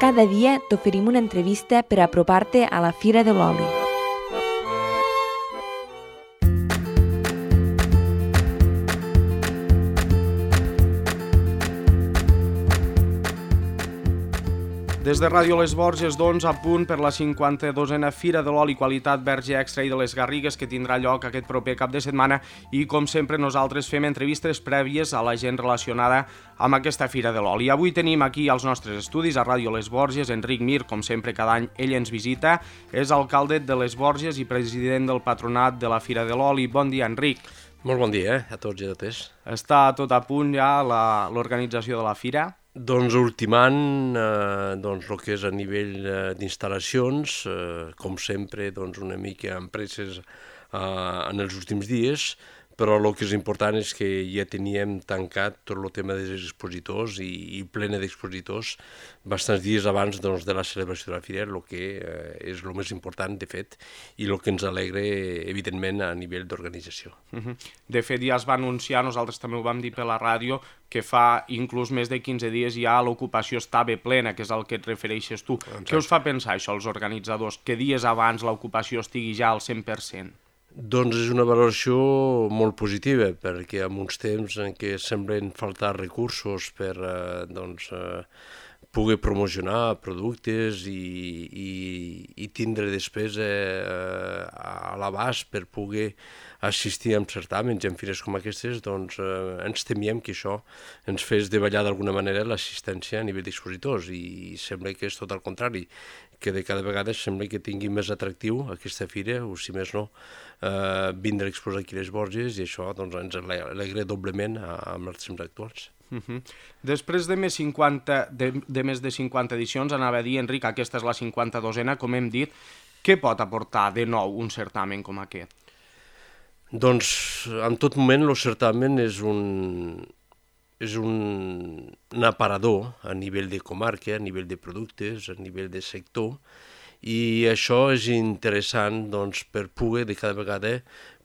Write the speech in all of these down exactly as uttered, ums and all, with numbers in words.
Cada dia t'oferim una entrevista per apropar-te a la Fira de l'Oli. Des de Ràdio Les Borges, doncs, a punt per la cinquanta-dosena Fira de l'Oli Qualitat Verge Extra i de les Garrigues, que tindrà lloc aquest proper cap de setmana, i com sempre nosaltres fem entrevistes prèvies a la gent relacionada amb aquesta Fira de l'Oli. Avui tenim aquí als nostres estudis a Ràdio Les Borges Enric Mir, com sempre cada any ell ens visita, és alcalde de Les Borges i president del patronat de la Fira de l'Oli. Bon dia, Enric. Molt bon dia eh, a tots i a totes. Està tot a punt ja l'organització de la Fira? Doncs ultimant eh, doncs, el que és a nivell eh, d'instal·lacions, eh, com sempre doncs, una mica empreses eh, en els últims dies, però el que és important és que ja teníem tancat tot el tema dels expositors i, i plena d'expositors bastants dies abans doncs, de la celebració de la Fira, el que eh, és el més important, de fet, i el que ens alegra, evidentment, a nivell d'organització. Uh-huh. De fet, ja es va anunciar, nosaltres també ho vam dir per la ràdio, que fa inclús més de quinze dies ja l'ocupació estava plena, que és el que et refereixes tu. Exacte. Què us fa pensar això, els organitzadors, que dies abans l'ocupació estigui ja al cent per cent? Doncs és una valoració molt positiva, perquè en uns temps en què semblen faltar recursos per eh, doncs, eh, poder promocionar productes i, i, i tindre després eh, a l'abast per poder assistir a certàmens i en fires com aquestes, doncs eh, ens temíem que això ens fes davallar d'alguna manera l'assistència a nivell d'expositors, i sembla que és tot el contrari, que de cada vegada sembla que tingui més atractiu aquesta fira, o si més no, eh, vindre a exposar aquí a Les Borges, i això doncs, ens alegra doblement amb els temps actuals. Uh-huh. Després de més, cinquanta, de, de més de cinquanta edicions, anava a dir, Enric, aquesta és la cinquanta-dosena, com hem dit, què pot aportar de nou un certamen com aquest? Doncs, en tot moment, el certamen és un, és un, un aparador a nivell de comarca, a nivell de productes, a nivell de sector, i això és interessant doncs, per poder de cada vegada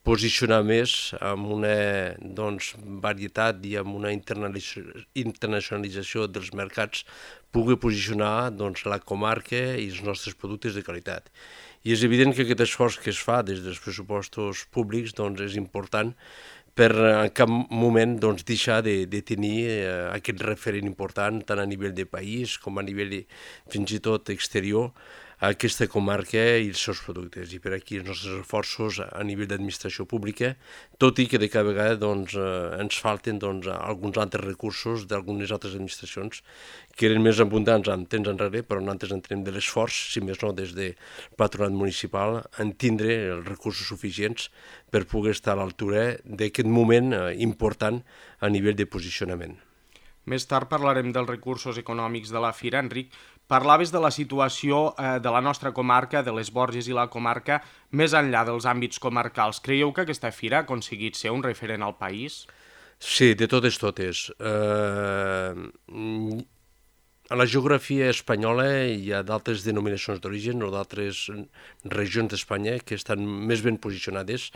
posicionar més amb una doncs, varietat i amb una internacionalització dels mercats, poder posicionar doncs, la comarca i els nostres productes de qualitat. I és evident que aquest esforç que es fa des dels pressupostos públics doncs, és important per en cap moment doncs, deixar de, de tenir eh, aquest referent important tant a nivell de país com a nivell fins i tot exterior a aquesta comarca i els seus productes. I per aquí els nostres esforços a nivell d'administració pública, tot i que de cada vegada doncs, eh, ens falten doncs, alguns altres recursos d'algunes altres administracions que eren més abundants en temps enrere, però nosaltres entenem de l'esforç, si més no des del patronat municipal, en tindre els recursos suficients per poder estar a l'altura d'aquest moment eh, important a nivell de posicionament. Més tard parlarem dels recursos econòmics de la Fira, Enric. Parlaves de la situació eh, de la nostra comarca, de Les Borges i la comarca, més enllà dels àmbits comarcals. Creieu que aquesta Fira ha aconseguit ser un referent al país? Sí, de totes totes. Eh, a la geografia espanyola hi ha d'altres denominacions d'origen o d'altres regions d'Espanya que estan més ben posicionades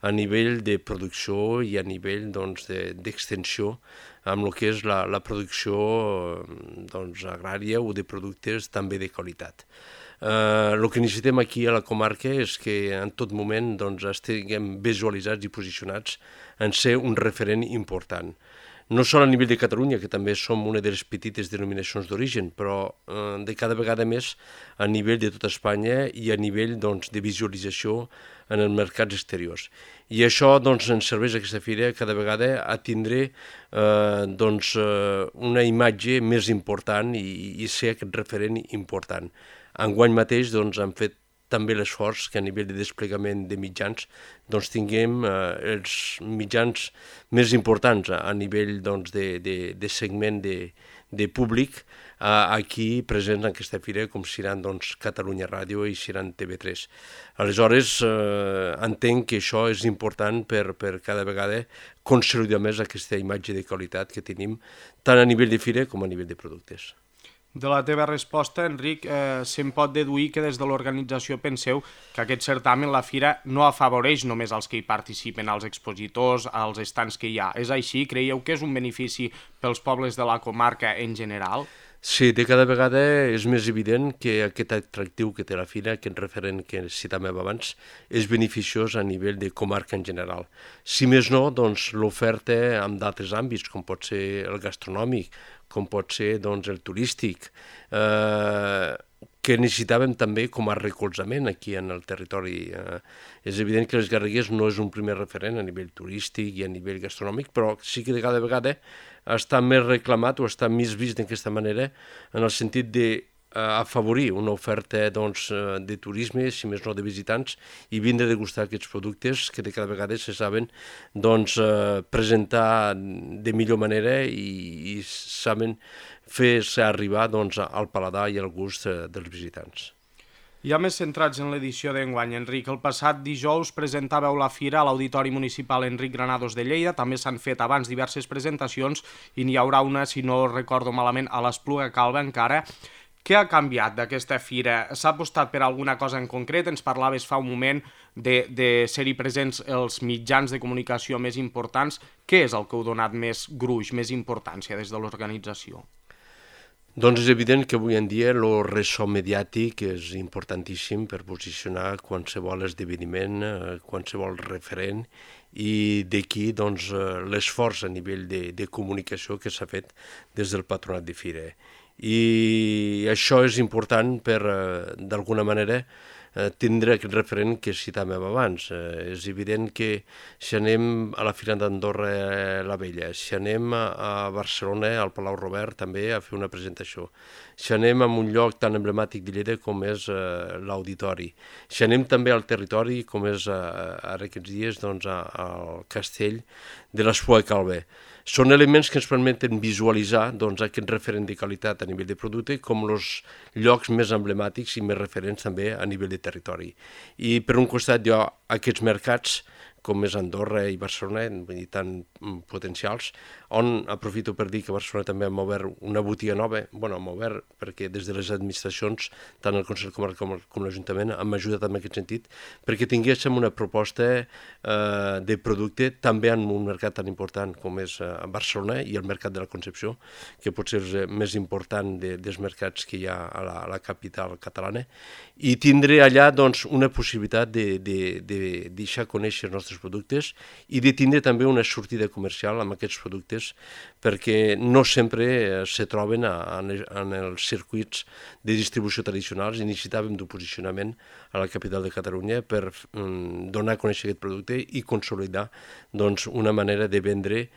a nivell de producció i a nivell doncs, d'extensió amb el que és la, la producció doncs, agrària o de productes també de qualitat. Eh, el que necessitem aquí a la comarca és que en tot moment doncs, estiguem visualitzats i posicionats en ser un referent important. No sol a nivell de Catalunya, que també som una de les petites denominacions d'origen, però eh, de cada vegada més a nivell de tota Espanya i a nivell doncs, de visualització en els mercats exteriors. I això doncs, ens serveix aquesta fira cada vegada a tindre eh, doncs, eh, una imatge més important i, i ser aquest referent important. Enguany mateix doncs, hem fet també l'esforç que a nivell de desplegament de mitjans doncs, tinguem eh, els mitjans més importants a, a nivell doncs, de, de, de segment de, de públic eh, aquí presents en aquesta fira, com seran doncs, Catalunya Ràdio i seran T V tres. Aleshores, eh, entenc que això és important per, per cada vegada consolidar més aquesta imatge de qualitat que tenim tant a nivell de fira com a nivell de productes. De la teva resposta, Enric, eh, se'n pot deduir que des de l'organització penseu que aquest certamen, la Fira, no afavoreix només als que hi participen, als expositors, als estants que hi ha. És així? Creieu que és un benefici pels pobles de la comarca en general? Sí, de cada vegada és més evident que aquest atractiu que té la fira, aquest referent que citàvem abans, és beneficiós a nivell de comarca en general. Si més no, doncs l'oferta en d'altres àmbits, com pot ser el gastronòmic, com pot ser doncs, el turístic, eh, que necessitàvem també com a recolzament aquí en el territori. Eh, és evident que les Garrigues no és un primer referent a nivell turístic i a nivell gastronòmic, però sí que de cada vegada està més reclamat o està més vist d'aquesta manera en el sentit de afavorir una oferta doncs, de turisme, si més no de visitants, i vindre a degustar aquests productes que de cada vegada se saben doncs, presentar de millor manera i, i saben fer-se arribar doncs, al paladar i al gust dels visitants. Ja més centrats en l'edició d'enguany, Enric, el passat dijous presentàveu la fira a l'Auditori Municipal Enric Granados de Lleida, també s'han fet abans diverses presentacions i n'hi haurà una, si no recordo malament, a l'Espluga Calba encara. Què ha canviat d'aquesta fira? S'ha apostat per alguna cosa en concret? Ens parlaves fa un moment de, de ser-hi presents els mitjans de comunicació més importants. Què és el que heu donat més gruix, més importància des de l'organització? Doncs és evident que avui en dia el ressò mediàtic és importantíssim per posicionar qualsevol esdeveniment, qualsevol referent, i d'aquí doncs, l'esforç a nivell de, de comunicació que s'ha fet des del Patronat de Fira. I això és important per, d'alguna manera, tindre aquest referent que citàvem abans. Eh, és evident que si anem a la Fira d'Andorra la Vella, si anem a Barcelona, al Palau Robert, també a fer una presentació, si anem a un lloc tan emblemàtic de Lleida com és eh, l'Auditori, si anem també al territori com és eh, ara aquests dies doncs, a, al castell de l'Espluga Calba, són elements que ens permeten visualitzar doncs, aquest referent de qualitat a nivell de producte com els llocs més emblemàtics i més referents també a nivell de territori. I per un costat hi ha aquests mercats com és Andorra i Barcelona, vull dir, tan potencials, on aprofito per dir que a Barcelona també hem obert una botiga nova, bueno, hem obert perquè des de les administracions, tant el Consell Comarcal com, com l'Ajuntament, hem ajudat en aquest sentit, perquè tinguéssim una proposta eh, de producte també en un mercat tan important com és eh, Barcelona i el mercat de la Concepció, que pot ser el més important de, dels mercats que hi ha a la, a la capital catalana, i tindre allà doncs, una possibilitat de, de, de deixar conèixer els nostres productes i de tindre també una sortida comercial amb aquests productes perquè no sempre se troben en els circuits de distribució tradicionals i necessitàvem d'un posicionament a la capital de Catalunya per donar a conèixer aquest producte i consolidar doncs, una manera de vendre eh,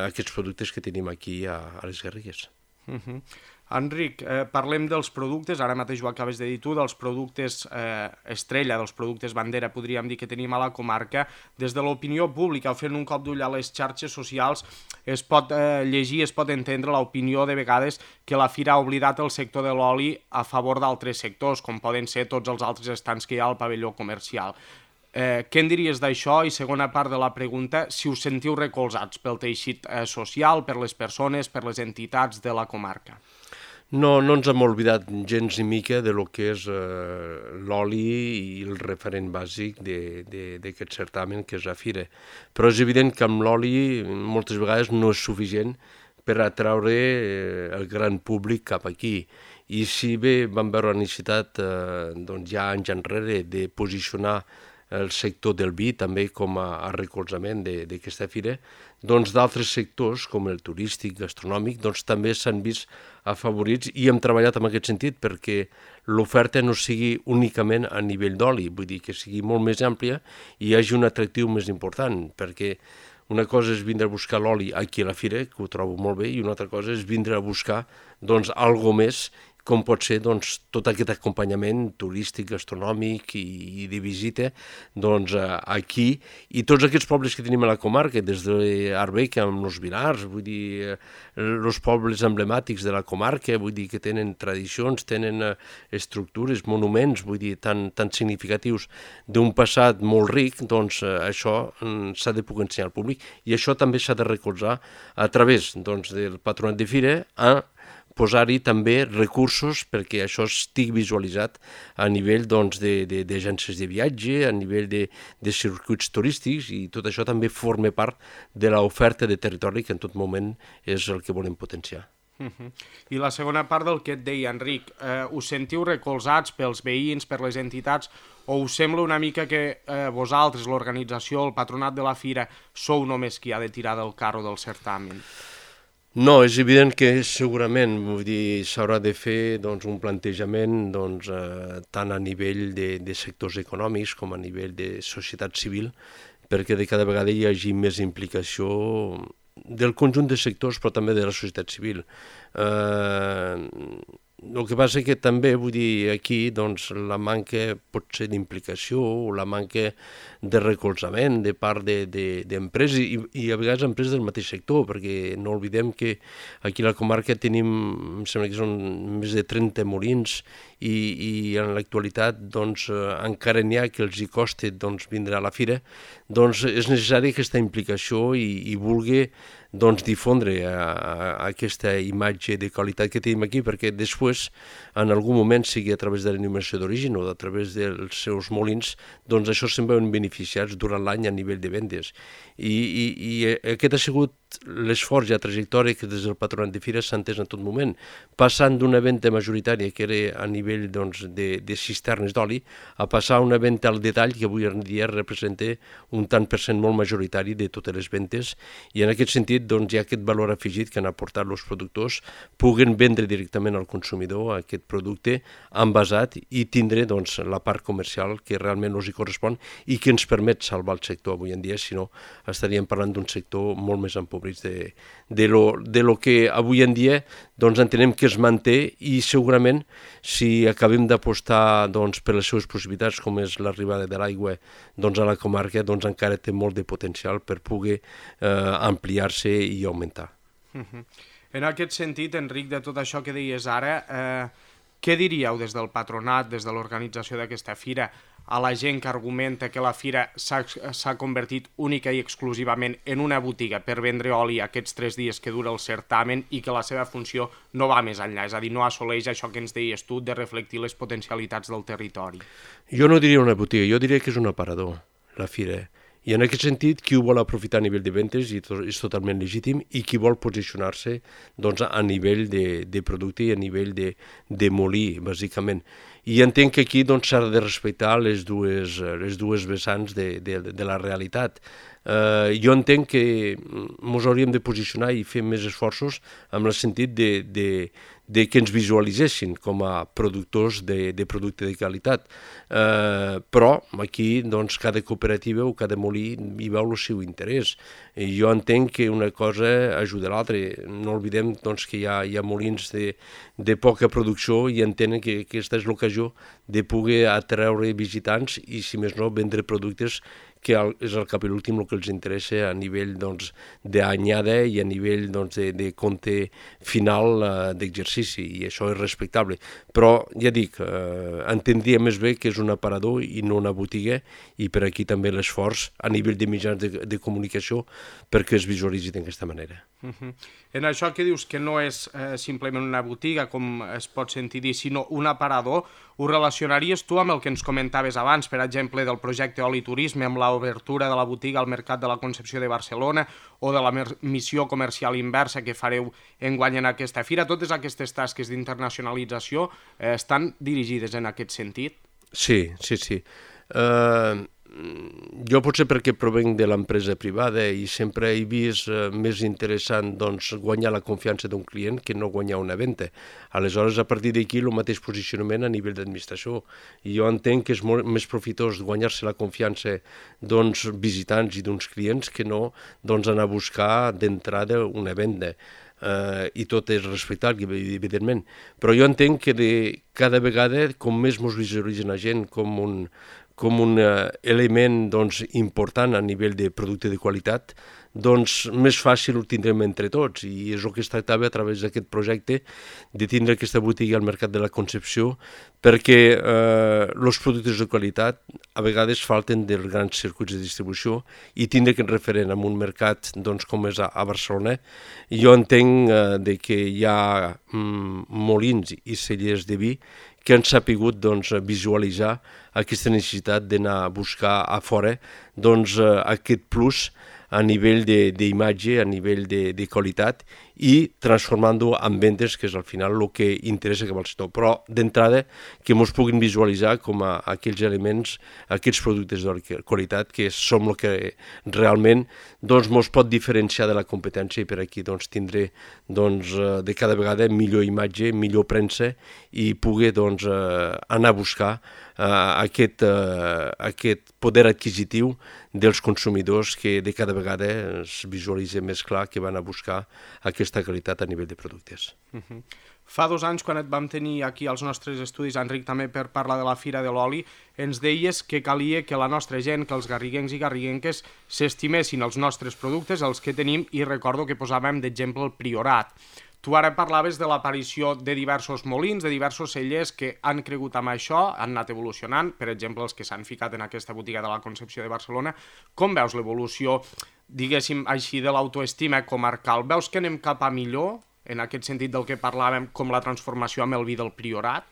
aquests productes que tenim aquí a, a les Garrigues. Uh-huh. Enric, eh, parlem dels productes, ara mateix ho acabes de dir tu, dels productes eh, estrella, dels productes bandera, podríem dir, que tenim a la comarca. Des de l'opinió pública, fent un cop d'ull a les xarxes socials, es pot eh, llegir, es pot entendre l'opinió de vegades que la Fira ha oblidat el sector de l'oli a favor d'altres sectors, com poden ser tots els altres estants que hi ha al pavelló comercial. Eh, què en diries d'això? I segona part de la pregunta, si us sentiu recolzats pel teixit eh, social, per les persones, per les entitats de la comarca. No, no ens hem oblidat gens ni mica de lo que és eh, l'oli i el referent bàsic d'aquest certamen que és la Fira. Però és evident que amb l'oli moltes vegades no és suficient per atraure eh, el gran públic cap aquí. I si bé vam veure la necessitat eh, doncs ja anys enrere de posicionar el sector del vi també com a, a recolzament d'aquesta fira, doncs d'altres sectors com el turístic, gastronòmic, doncs també s'han vist afavorits i hem treballat en aquest sentit perquè l'oferta no sigui únicament a nivell d'oli, vull dir que sigui molt més àmplia i hi hagi un atractiu més important, perquè una cosa és vindre a buscar l'oli aquí a la fira, que ho trobo molt bé, i una altra cosa és vindre a buscar doncs algo més, com pot ser doncs, tot aquest acompanyament turístic, gastronòmic i, i de visita doncs, aquí, i tots aquests pobles que tenim a la comarca, des d'Arbeca amb els Vilars, vull dir, els pobles emblemàtics de la comarca, vull dir que tenen tradicions, tenen estructures, monuments, vull dir, tan, tan significatius d'un passat molt ric, doncs això s'ha de poder ensenyar al públic, i això també s'ha de recolzar a través doncs, del Patronat de Fira a posar-hi també recursos perquè això estigui visualitzat a nivell doncs, d'agències de, de, de viatge, a nivell de, de circuits turístics, i tot això també forma part de l'oferta de territori que en tot moment és el que volem potenciar. Uh -huh. I la segona part del que et deia, Enric, eh, us sentiu recolzats pels veïns, per les entitats, o us sembla una mica que eh, vosaltres, l'organització, el patronat de la fira, sou només qui ha de tirar del carro del certamen? No, és evident que segurament vull dir s'haurà de fer doncs, un plantejament doncs, eh, tant a nivell de, de sectors econòmics com a nivell de societat civil, perquè de cada vegada hi hagi més implicació del conjunt de sectors, però també de la societat civil. Eh, el que passa que també, vull dir, aquí doncs, la manca potser d'implicació o la manca de recolzament de part d'empreses de, de, i, i a vegades empreses del mateix sector, perquè no oblidem que aquí a la comarca tenim, em sembla que són més de trenta molins i, i en l'actualitat doncs, encara n'hi ha que els hi costa doncs, vindre a la fira, doncs és necessari aquesta implicació i, i vulgui doncs, difondre a, a aquesta imatge de qualitat que tenim aquí, perquè després, en algun moment, sigui a través de l'enumeració d'origen o a través dels seus molins, doncs això se'n veuen beneficiats durant l'any a nivell de vendes. I, i, i aquest ha sigut l'esforç i la trajectòria que des del patronat de fires s'ha entès en tot moment, passant d'una venda majoritària que era a nivell doncs, de, de cisternes d'oli a passar a una venda al detall que avui en dia representa un tant per cent molt majoritari de totes les ventes, i en aquest sentit doncs, hi ha aquest valor afegit que han aportat els productors, puguen vendre directament al consumidor aquest producte envasat i tindre doncs, la part comercial que realment els hi correspon i que ens permet salvar el sector avui en dia, si no estaríem parlant d'un sector molt més empobrit de, de, lo, de lo que avui en dia doncs, entenem que es manté, i segurament si acabem d'apostar doncs, per les seves possibilitats, com és l'arribada de l'aigua doncs, a la comarca, doncs, encara té molt de potencial per poder eh, ampliar-se i augmentar. Uh-huh. En aquest sentit, Enric, de tot això que deies ara, eh, què diríeu des del patronat, des de l'organització d'aquesta fira, a la gent que argumenta que la fira s'ha convertit única i exclusivament en una botiga per vendre oli aquests tres dies que dura el certamen i que la seva funció no va més enllà, és a dir, no assoleix això que ens deies tu de reflectir les potencialitats del territori? Jo no diria una botiga, jo diria que és un aparador, la fira. I en aquest sentit, qui ho vol aprofitar a nivell de ventes és totalment legítim, i qui vol posicionar-se doncs, a nivell de, de producte i a nivell de, de molí, bàsicament. I entenc que aquí doncs, s'ha de respectar les dues, les dues vessants de, de, de la realitat. Uh, jo entenc que ens hauríem de posicionar i fer més esforços en el sentit de, de, de que ens visualitzessin com a productors de, de producte de qualitat. Uh, però aquí doncs, cada cooperativa o cada molí hi veu el seu interès. I jo entenc que una cosa ajuda a l'altra. No oblidem doncs, que hi ha, hi ha molins de, de poca producció i entenen que aquesta és l'ocasió de poder atreure visitants i, si més no, vendre productes que és al cap i l'últim el que els interessa a nivell doncs, d'anyada i a nivell doncs, de, de compte final uh, d'exercici, i això és respectable. Però, ja dic, uh, entendria més bé que és un aparador i no una botiga, i per aquí també l'esforç a nivell de mitjans de, de comunicació perquè es visualitzi d'aquesta manera. Uh-huh. En això que dius que no és eh, simplement una botiga, com es pot sentir dir, sinó un aparador, ho relacionaries tu amb el que ens comentaves abans, per exemple, del projecte Oli Turisme, amb l'obertura de la botiga al Mercat de la Concepció de Barcelona, o de la missió comercial inversa que fareu enguany en aquesta fira? Totes aquestes tasques d'internacionalització eh, estan dirigides en aquest sentit? Sí, sí, sí. Uh... Jo potser perquè provenc de l'empresa privada i sempre he vist eh, més interessant doncs, guanyar la confiança d'un client que no guanyar una venda. Aleshores, a partir d'aquí, el mateix posicionament a nivell d'administració. I jo entenc que és molt més profitós guanyar-se la confiança d'uns visitants i d'uns clients que no doncs, anar a buscar d'entrada una venda. Uh, i tot és respectable, evidentment. Però jo entenc que de cada vegada, com més ens visualitzen la gent com un com un uh, element doncs, important a nivell de producte de qualitat, doncs més fàcil ho tindrem entre tots, i és el que es tractava a través d'aquest projecte de tindre aquesta botiga al Mercat de la Concepció, perquè eh, els productes de qualitat a vegades falten dels grans circuits de distribució, i tindre aquest referent en un mercat doncs, com és a, a Barcelona. Jo entenc eh, de que hi ha mm, molins i cellers de vi que han sapigut doncs, visualitzar aquesta necessitat d'anar a buscar a fora doncs, aquest plus a nivell d'imatge, a nivell de, de qualitat, i transformant-ho en vendes, que és al final el que interessa cap al sector. Però d'entrada que ens puguin visualitzar com a aquells elements, aquests productes de qualitat que som el que realment doncs, ens pot diferenciar de la competència i per aquí doncs, tindré doncs, de cada vegada millor imatge, millor premsa i poder doncs, anar a buscar uh, aquest, uh, aquest poder adquisitiu dels consumidors que de cada vegada es visualitza més clar que van a buscar aquesta qualitat a nivell de productes. Uh-huh. Fa dos anys, quan et vam tenir aquí als nostres estudis, Enric, també per parlar de la Fira de l'Oli, ens deies que calia que la nostra gent, que els garriguencs i garriguenques s'estimessin els nostres productes, els que tenim, i recordo que posàvem d'exemple el Priorat. Tu ara parlaves de l'aparició de diversos molins, de diversos cellers que han cregut amb això, han anat evolucionant, per exemple, els que s'han ficat en aquesta botiga de la Concepció de Barcelona. Com veus l'evolució, diguéssim així, de l'autoestima comarcal? Veus que anem cap a millor, en aquest sentit del que parlàvem, com la transformació amb el vi del Priorat?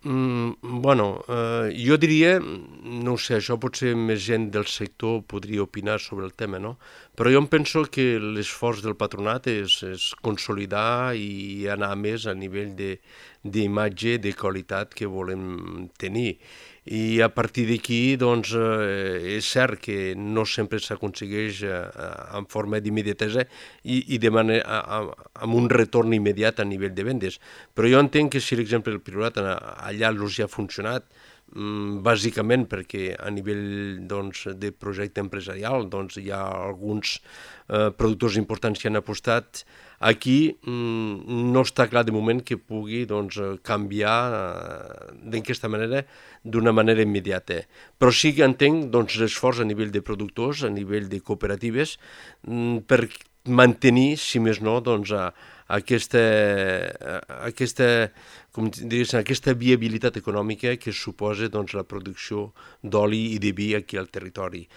Mm, bueno, eh, jo diria, no ho sé, això potser més gent del sector podria opinar sobre el tema, no? Però jo em penso que l'esforç del patronat és, és consolidar i anar més a nivell d'imatge, de, de qualitat que volem tenir. I a partir d'aquí, doncs, eh, és cert que no sempre s'aconsegueix eh, en forma d'immediatesa i, i de manera, amb un retorn immediat a nivell de vendes. Però jo entenc que si l'exemple del Priorat allà ja ha funcionat, mm, bàsicament perquè a nivell doncs, de projecte empresarial doncs, hi ha alguns eh, productors importants que han apostat. Aquí mm, no està clar de moment que pugui doncs, canviar eh, d'aquesta manera, d'una manera immediata. Però sí que entenc doncs, l'esforç a nivell de productors, a nivell de cooperatives, mm, per mantenir, si més no, doncs, a, a aquesta, a aquesta, com diries, aquesta viabilitat econòmica que suposa doncs, la producció d'oli i de vi aquí al territori.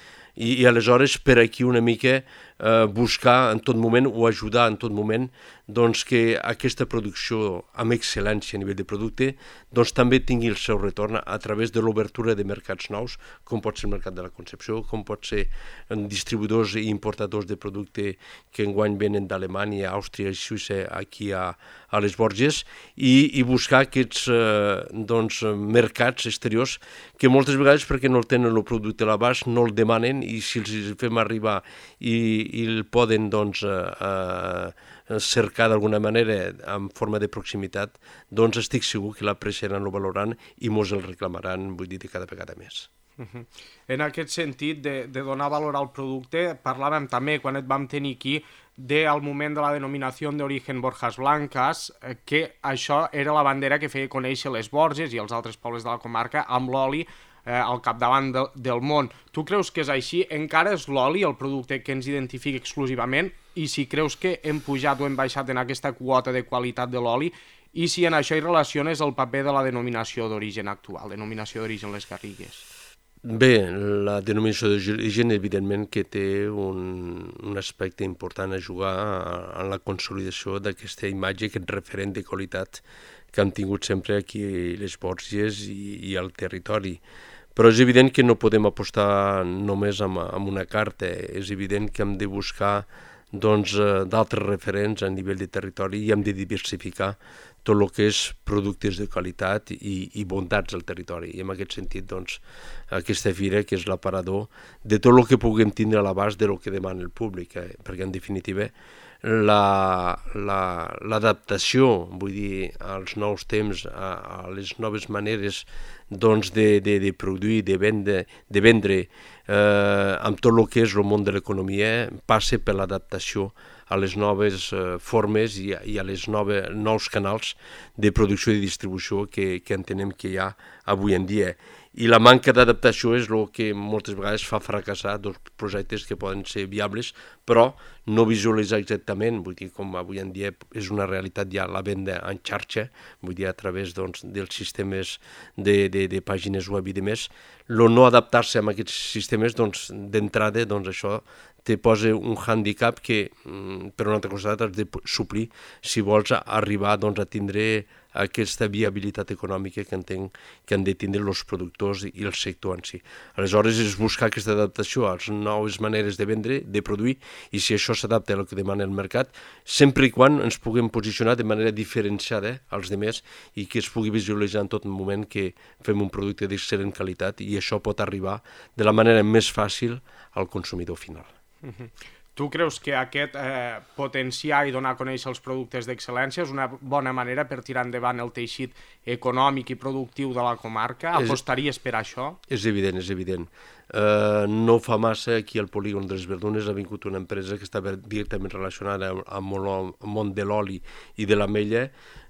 I, i aleshores per aquí una mica eh, buscar en tot moment o ajudar en tot moment doncs, que aquesta producció amb excel·lència a nivell de producte doncs, també tingui el seu retorn a través de l'obertura de mercats nous, com pot ser el mercat de la Concepció, com pot ser distribuïdors i importadors de producte que enguany venen d'Alemanya, Àustria i Suïssa aquí a, a les Borges, i, i buscar aquests eh, doncs, mercats exteriors que moltes vegades, perquè no el tenen el producte a l'abast, no el demanen, i si els fem arribar i, i el poden doncs, eh, cercar d'alguna manera en forma de proximitat, doncs estic segur que l'apreciaran, el valoraran i mos el reclamaran, vull dir, de cada vegada més. Uh-huh. En aquest sentit de, de donar valor al producte, parlàvem també, quan et vam tenir aquí, del moment de la denominació d'origen Borjas Blancas, que això era la bandera que feia conèixer les Borges i els altres pobles de la comarca amb l'oli eh, al capdavant de, del món. Tu creus que és així? Encara és l'oli el producte que ens identifica exclusivament? I si creus que hem pujat o hem baixat en aquesta quota de qualitat de l'oli? I si en això hi relaciones el paper de la denominació d'origen actual, denominació d'origen les Garrigues? Bé, la denominació d'origen evidentment que té un, un aspecte important a jugar en la consolidació d'aquesta imatge, aquest referent de qualitat que han tingut sempre aquí les Borges i, i al territori. Però és evident que no podem apostar només amb, amb una carta, és evident que hem de buscar doncs, d'altres referents a nivell de territori i hem de diversificar tot el que és productes de qualitat i, i bondats del territori. I en aquest sentit, doncs, aquesta fira, que és l'aparador de tot el que puguem tindre a l'abast de lo que demana el públic, eh? Perquè en definitiva l'adaptació, la, la, vull dir, als nous temps, a, a les noves maneres doncs, de, de, de produir, de vendre, de vendre eh, amb tot el que és el món de l'economia, passa per l'adaptació a les noves eh, formes i a, i a les nove, nous canals de producció i distribució que, que entenem que hi ha avui en dia. I la manca d'adaptació és el que moltes vegades fa fracassar dos projectes que poden ser viables, però no visualitzar exactament, vull dir, com avui en dia és una realitat ja la venda en xarxa, vull dir, a través doncs, dels sistemes de, de, de pàgines web i demés, el no adaptar-se a aquests sistemes, doncs, d'entrada, doncs, això te posa un handicap que, per un altre costat, has de suplir si vols arribar doncs, a tindre aquesta viabilitat econòmica que entenc que han de tindre els productors i el sector en si. Aleshores, és buscar aquesta adaptació a les noves maneres de vendre, de produir, i si això s'adapta al que demana el mercat, sempre i quan ens puguem posicionar de manera diferenciada als demés i que es pugui visualitzar en tot moment que fem un producte d'excel·lent qualitat i això pot arribar de la manera més fàcil al consumidor final. Uh-huh. Tu creus que aquest eh, potenciar i donar a conèixer els productes d'excel·lència és una bona manera per tirar endavant el teixit econòmic i productiu de la comarca? Apostaries per això? És evident, és evident. Uh, no fa massa aquí al polígon de les Verdunes ha vingut una empresa que estava directament relacionada amb el món de l'oli i de l'ametlla,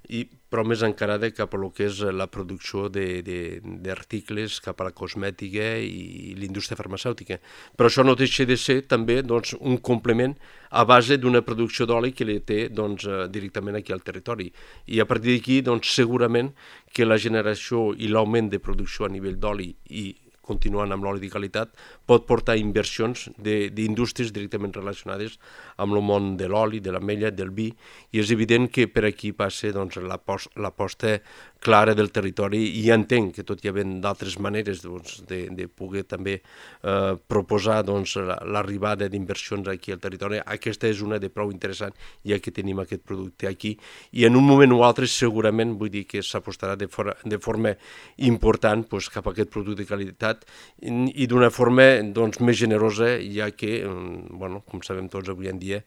i, però més encarada cap a lo que és la producció d'articles, cap a la cosmètica i l'indústria farmacèutica. Però això no deixa de ser també doncs, un complement a base d'una producció d'oli que li té doncs, directament aquí al territori. I a partir d'aquí doncs, segurament que la generació i l'augment de producció a nivell d'oli i continuant amb l'oli de qualitat, pot portar inversions d'indústries directament relacionades amb el món de l'oli, de l'ametlla, del vi, i és evident que per aquí passa doncs, l'aposta clara del territori, i entenc que tot hi havent d'altres maneres doncs, de, de poder també eh, proposar doncs, l'arribada d'inversions aquí al territori, aquesta és una de prou interessant, ja que tenim aquest producte aquí, i en un moment o altre segurament vull dir que s'apostarà de, for de forma important doncs, cap a aquest producte de qualitat i, i d'una forma doncs, més generosa, ja que, bueno, com sabem tots avui en dia,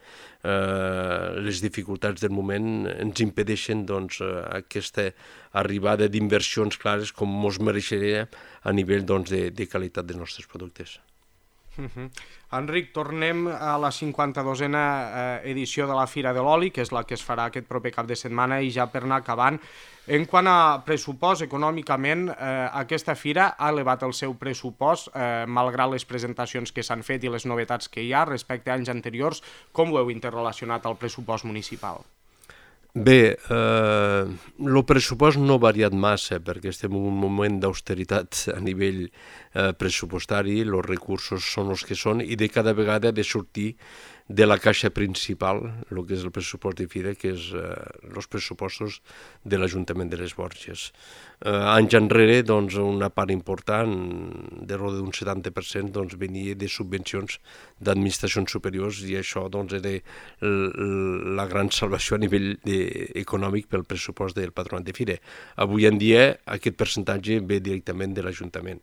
eh, les dificultats del moment ens impedeixen doncs, aquesta arribada d'inversions clares com ens mereixeria a nivell doncs, de, de qualitat dels nostres productes. Uh-huh. Enric, tornem a la cinquanta-dosena eh, edició de la Fira de l'Oli, que és la que es farà aquest proper cap de setmana, i ja per anar acabant, en quant a pressupost, econòmicament, eh, aquesta fira ha elevat el seu pressupost, eh, malgrat les presentacions que s'han fet i les novetats que hi ha respecte a anys anteriors. Com ho heu interrelacionat al pressupost municipal? Bé, eh, el pressupost no ha variat massa perquè estem en un moment d'austeritat a nivell eh, pressupostari, els recursos són els que són i de cada vegada ha de sortir de la caixa principal, el que és el pressupost de fira, que és eh, els pressupostos de l'Ajuntament de les Borges. Eh, anys enrere, doncs, una part important, de l'ordre d'un setanta per cent, doncs, venia de subvencions d'administracions superiors i això doncs, era la gran salvació a nivell de, econòmic pel pressupost del Patronat de Fira. Avui en dia aquest percentatge ve directament de l'Ajuntament.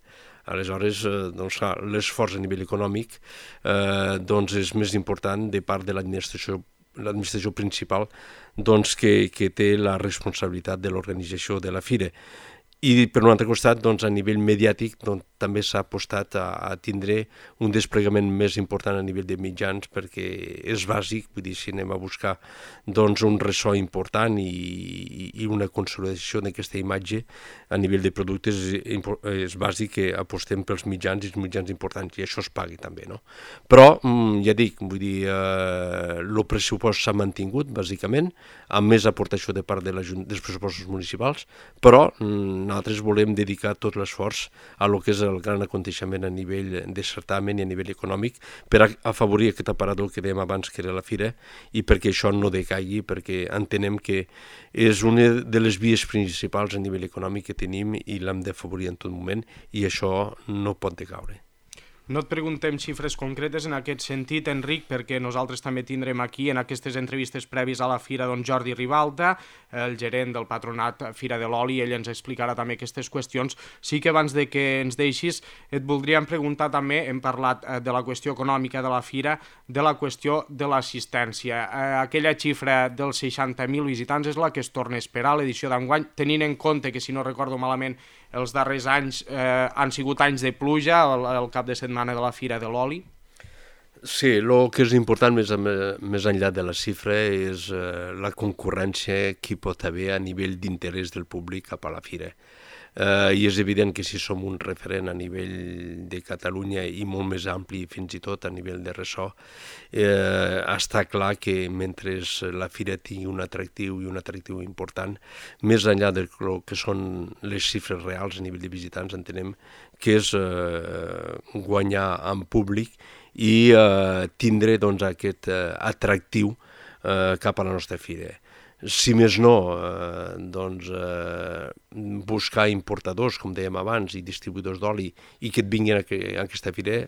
Aleshores, doncs, l'esforç a nivell econòmic eh, doncs és més important de part de l'administració l'administració principal doncs, que, que té la responsabilitat de l'organització de la fira. I per un altre costat, doncs, a nivell mediàtic, doncs, també s'ha apostat a, a tindre un desplegament més important a nivell de mitjans perquè és bàsic, vull dir, si anem a buscar doncs, un ressò important i, i una consolidació d'aquesta imatge a nivell de productes és, és bàsic que apostem pels mitjans i els mitjans importants i això es pagui també, no? Però, ja dic, vull dir, eh, el pressupost s'ha mantingut, bàsicament, amb més aportació de part de dels pressupostos municipals, però nosaltres volem dedicar tot l'esforç a lo que és el gran aconteixement a nivell de certamen i a nivell econòmic per afavorir aquest aparador que dèiem abans que era la fira i perquè això no decaigui, perquè entenem que és una de les vies principals a nivell econòmic que tenim i l'hem d'afavorir en tot moment i això no pot decaure. No et preguntem xifres concretes en aquest sentit, Enric, perquè nosaltres també tindrem aquí en aquestes entrevistes prèvies a la fira don Jordi Ribalta, el gerent del Patronat Fira de l'Oli, ell ens explicarà també aquestes qüestions. Sí que abans de que ens deixis et voldríem preguntar també, hem parlat de la qüestió econòmica de la fira, de la qüestió de l'assistència. Aquella xifra dels seixanta mil visitants és la que es torna a esperar a l'edició d'enguany, tenint en compte que, si no recordo malament, els darrers anys eh, han sigut anys de pluja, el, el cap de setmana de la Fira de l'Oli? Sí, el que és important més, més enllà de la xifra és eh, la concurrència que hi pot haver a nivell d'interès del públic cap a la fira. eh, i és evident que si som un referent a nivell de Catalunya i molt més ampli fins i tot a nivell de ressò, eh, està clar que mentre la fira tingui un atractiu i un atractiu important, més enllà del que són les xifres reals a nivell de visitants, entenem que és eh, guanyar en públic i eh, tindre doncs, aquest eh, atractiu eh, cap a la nostra fira. Si més no, eh, doncs, eh, buscar importadors, com dèiem abans, i distribuïdors d'oli, i que et vinguin a, que, a aquesta fira,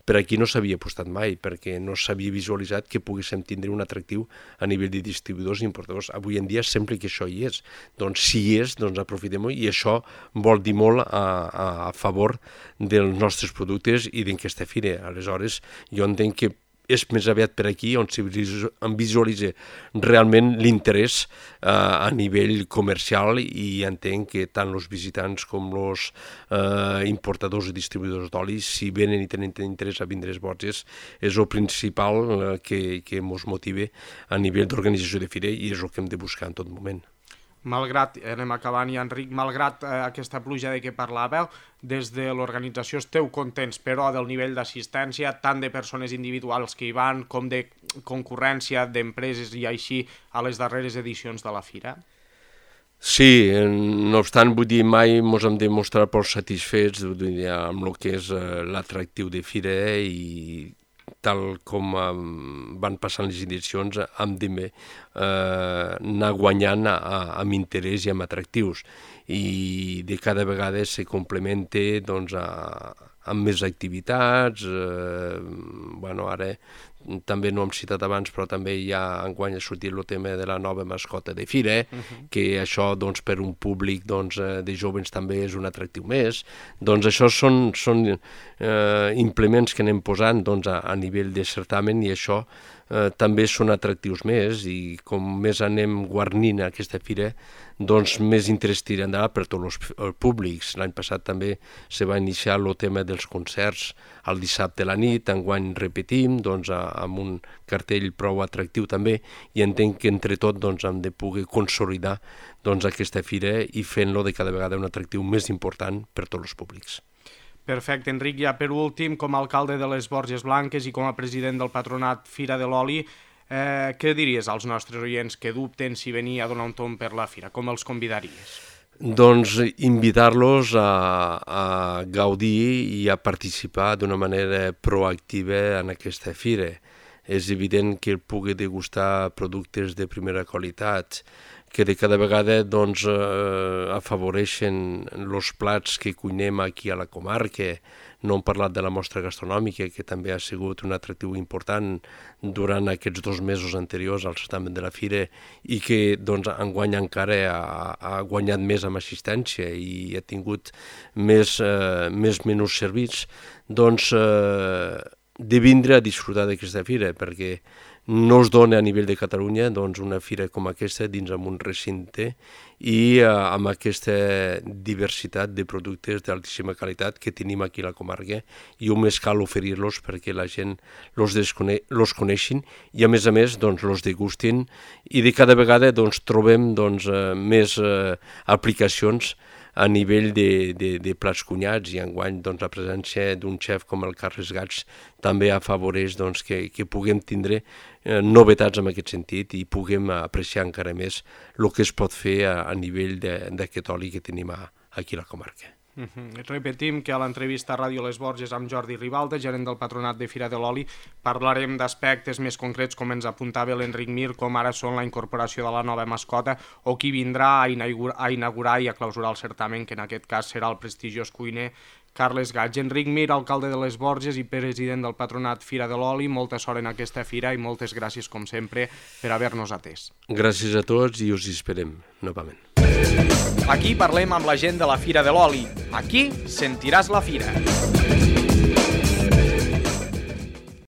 per aquí no s'havia apostat mai, perquè no s'havia visualitzat que poguéssim tindre un atractiu a nivell de distribuïdors i importadors. Avui en dia sempre que això hi és. Doncs si hi és, doncs aprofitem-ho, i això vol dir molt a, a, a favor dels nostres productes i d'aquesta fira. Aleshores, jo entenc que és més aviat per aquí on em visualitza realment l'interès eh, a nivell comercial, i entenc que tant els visitants com els eh, importadors i distribuïdors d'oli, si venen i tenen interès a vindre a les Borges, és el principal eh, que, que ens motiva a nivell d'organització de fira, i és el que hem de buscar en tot moment. Malgrat, anem acabant ja, Enric, malgrat eh, aquesta pluja de què parlàveu, des de l'organització esteu contents, però del nivell d'assistència, tant de persones individuals que hi van, com de concurrència d'empreses i així a les darreres edicions de la fira? Sí, no obstant, vull dir, mai ens hem de mostrar prou satisfets amb el que és eh, l'atractiu de fira, i tal com eh, van passant les edicions, hem de eh, anar guanyant a, a, amb interès i amb atractius, i de cada vegada se complementa doncs, a, amb més activitats. eh, bueno, ara també no hem citat abans, però també ja enguany ha sortit el tema de la nova mascota de fira, uh -huh. que això doncs, per un públic doncs, de jóvens també és un atractiu més. Doncs això són, són eh, implements que anem posant doncs, a, a nivell de certamen, i això eh, també són atractius més, i com més anem guarnint aquesta fira, doncs més interès tindrà per tots els públics. L'any passat també se va iniciar el tema dels concerts el dissabte a la nit, enguany repetim, doncs, amb un cartell prou atractiu també, i entenc que entre tot doncs, hem de poder consolidar doncs, aquesta fira i fent-lo de cada vegada un atractiu més important per tots els públics. Perfecte, Enric. Ja per últim, com a alcalde de les Borges Blanques i com a president del patronat Fira de l'Oli, eh, què diries als nostres oients que dubten si venir a donar un tomb per la fira? Com els convidaries? Doncs invitar-los a, a gaudir i a participar d'una manera proactiva en aquesta fira. És evident que pugui degustar productes de primera qualitat, que de cada vegada doncs, eh, afavoreixen els plats que cuinem aquí a la comarca. No hem parlat de la mostra gastronòmica, que també ha sigut un atractiu important durant aquests dos mesos anteriors al certamen de la fira, i que doncs, enguany encara ha, ha guanyat més amb assistència i ha tingut més, eh, més menús servits. Doncs eh, de vindre a disfrutar d'aquesta fira, perquè no es dona a nivell de Catalunya doncs, una fira com aquesta dins amb un recinte i eh, amb aquesta diversitat de productes d'altíssima qualitat que tenim aquí a la comarca, i només cal oferir-los perquè la gent los, descone los coneixin i a més a més doncs, los degustin, i de cada vegada doncs, trobem doncs, eh, més eh, aplicacions a nivell de, de, de plats cunyats, i enguany doncs, la presència d'un xef com el Carles Gats també afavoreix doncs, que, que puguem tindre eh, novetats en aquest sentit i puguem apreciar encara més el que es pot fer a, a nivell d'aquest oli que tenim a, aquí a la comarca. Uh-huh. Repetim que a l'entrevista a Ràdio Les Borges amb Jordi Ribalta, gerent del patronat de Fira de l'Oli, parlarem d'aspectes més concrets com ens apuntava l'Enric Mir, com ara són la incorporació de la nova mascota o qui vindrà a inaugurar, a inaugurar i a clausurar el certamen, que en aquest cas serà el prestigiós cuiner Carles Gats. Enric Mir, alcalde de Les Borges i president del patronat Fira de l'Oli, molta sort en aquesta fira i moltes gràcies, com sempre, per haver-nos atès. Gràcies a tots i us esperem novament. Aquí parlem amb la gent de la Fira de l'Oli. Aquí sentiràs la fira.